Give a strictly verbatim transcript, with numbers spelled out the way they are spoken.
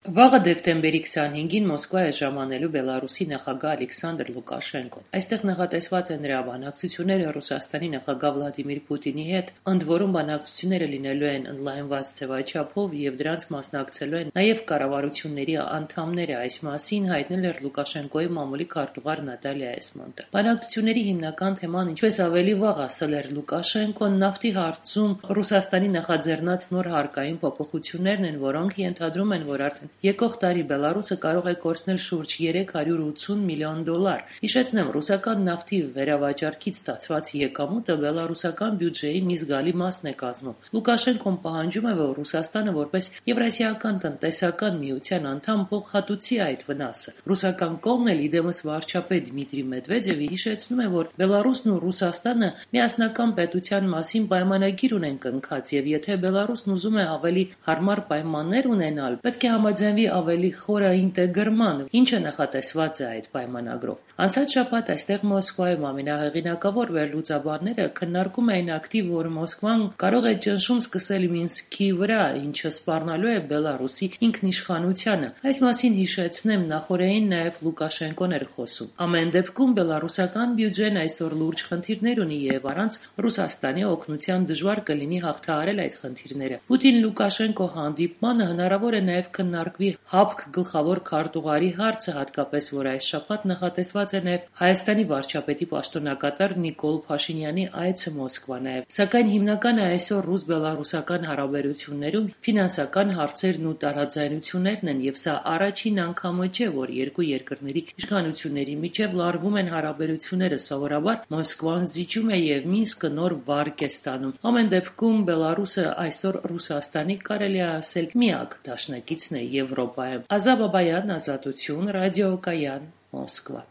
Վաղը դեկտեմբերի քսանհինգին Մոսկվա է ժամանելու Բելարուսի նախագահ Ալեքսանդր Լուկաշենկոն։ Այստեղ նախատեսված է նրա բանակցությունները Ռուսաստանի նախագահ Վլադիմիր Պուտինի հետ, ընդ որում բանակցությունները լինելու են ընդլայնված ձևաչափով եւ դրանց մասնակցելու են նաեւ կառավարությունների անդամները, այս մասին հայտնել էր Լուկաշենկոյի մամուլի քարտուղար Նատալիա Էսմոնտը։ Բանակցությունների հիմնական թեման, ինչպես ավելի վաղ ասել էր Լուկաշենկոն, նավթի հարցում Ռուսաստանի նախաձեռնած նոր հարկային փոփոխություններն են, որոնք ենթադրում են, որ արդեն եկող տարի Բելարուսը կարող է կորցնել շուրջ երեք հարյուր ութսուն միլիոն դոլար։ Հիշեցնեմ, ռուսական նավթի վերավաճառքից ստացված եկամուտը բելարուսական բյուջեի մի զգալի մասն է կազմում։ Լուկաշենկոն պահանջում է, որ Ռուսաստանը որպես Եվրասիական տնտեսական միության անդամ փոխհատուցի այդ վնասը։ Ռուսական կողմն էլ իդեմս վարչապետ Դմիտրի Մեդվեդևը հիշեցնում է, որ Բելարուսն ու Ռուսաստանը միասնական պետության մասին պայմանագիր ունեն կնքած, եւ եթե Բելարուսն ուզում է ավելի հարմար պայմաններ ունենալ, պետք է համաձայնվի ավելի խորը ինտեգրման, ինչը նախատեսված է այդ պայմանագրով։ Անցած շաբաթ այստեղ Մոսկվայում ամենահեղինակավոր վերլուծաբանները քննարկում էին ակտիվ, որ Մոսկվան կարող է ճնշում սկսել Մինսկի վրա, ինչը սպառնալու է Բելարուսի ինքնիշխանությանը։ Այս մասին հիշեցնեմ, նախորդին նաև Լուկաշենկոն էր խոսում։ Ամեն դեպքում բելարուսական բյուջեն այսօր լուրջ խնդիրներ ունի եւ առանց Ռուսաստանի օգնության դժվար կլինի հաղթահարել այդ խնդիրները։ Պուտին-Լուկաշենկո հանդիպմանը հնարավոր է նաև քննարկվի ՀԱՊԿ գլխավոր քարտուղարի հարցը, հատկապես որ այս շաբաթ նախատեսված է նաև Հայաստանի վարչապետի պաշտոնակատար Նիկոլ Փաշինյանի այցը Մոսկվա նաև։ Սակայն հիմնականը այսօր ռուս-բելարուսական հարաբերություններում ֆինանսական հարցերն ու տարաձայնություններն են, եւ սա առաջին անգամը չէ, որ երկու երկրների իշխանությունների միջև լարվում են հարաբերությունները։ Սովորաբար Մոսկվան զիջում է եւ Մինսկը նոր վարկ է ստանում։ Ամեն դեպքում Բելարուսը այսօր Ռուսաստանի կարելի է ասել միակ դաշնակիցն է Եվրոպայում։ Ազա Բաբայան, Ազատություն, Ռադիոկայան, Մոսկվա։